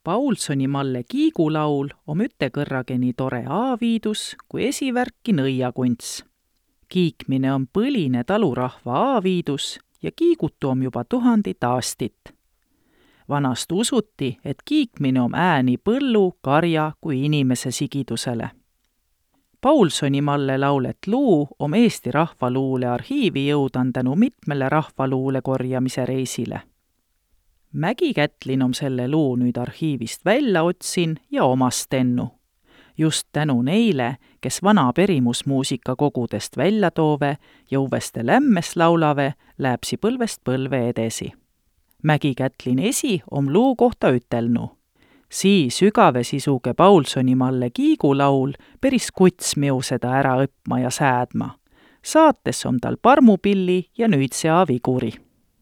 Paulsoni-Malle kiigulaul om ütekõrrage nii tore aaviidus kui esivärki nõiakunts. Kiikmine on põline talurahva aaviidus ja kiigutu om juba 1000 aastit. Vanast usuti, et kiikmine om ääni põllu, karja kui inimese sigidusele. Paulsoni-Malle laulet luu om Eesti Rahvaluule arhiivi jõudan tänu mitmele rahvaluule korjamise reisile. Mägi Kätlin om selle luu nüüd arhiivist välja otsin ja omast tennu. Just tänu neile, kes vana perimusmuusika kogudest välja toove ja uveste lämmes laulave, lääpsi põlvest põlve edesi. Mägi Kätlin esi om luu kohta ütelnu. Sii sügave sisuge Paulsoni-Malle kiigulaul peris kuts miu seda ära õppma ja säädma. Saates om tal parmupilli ja nüüdsea viguri.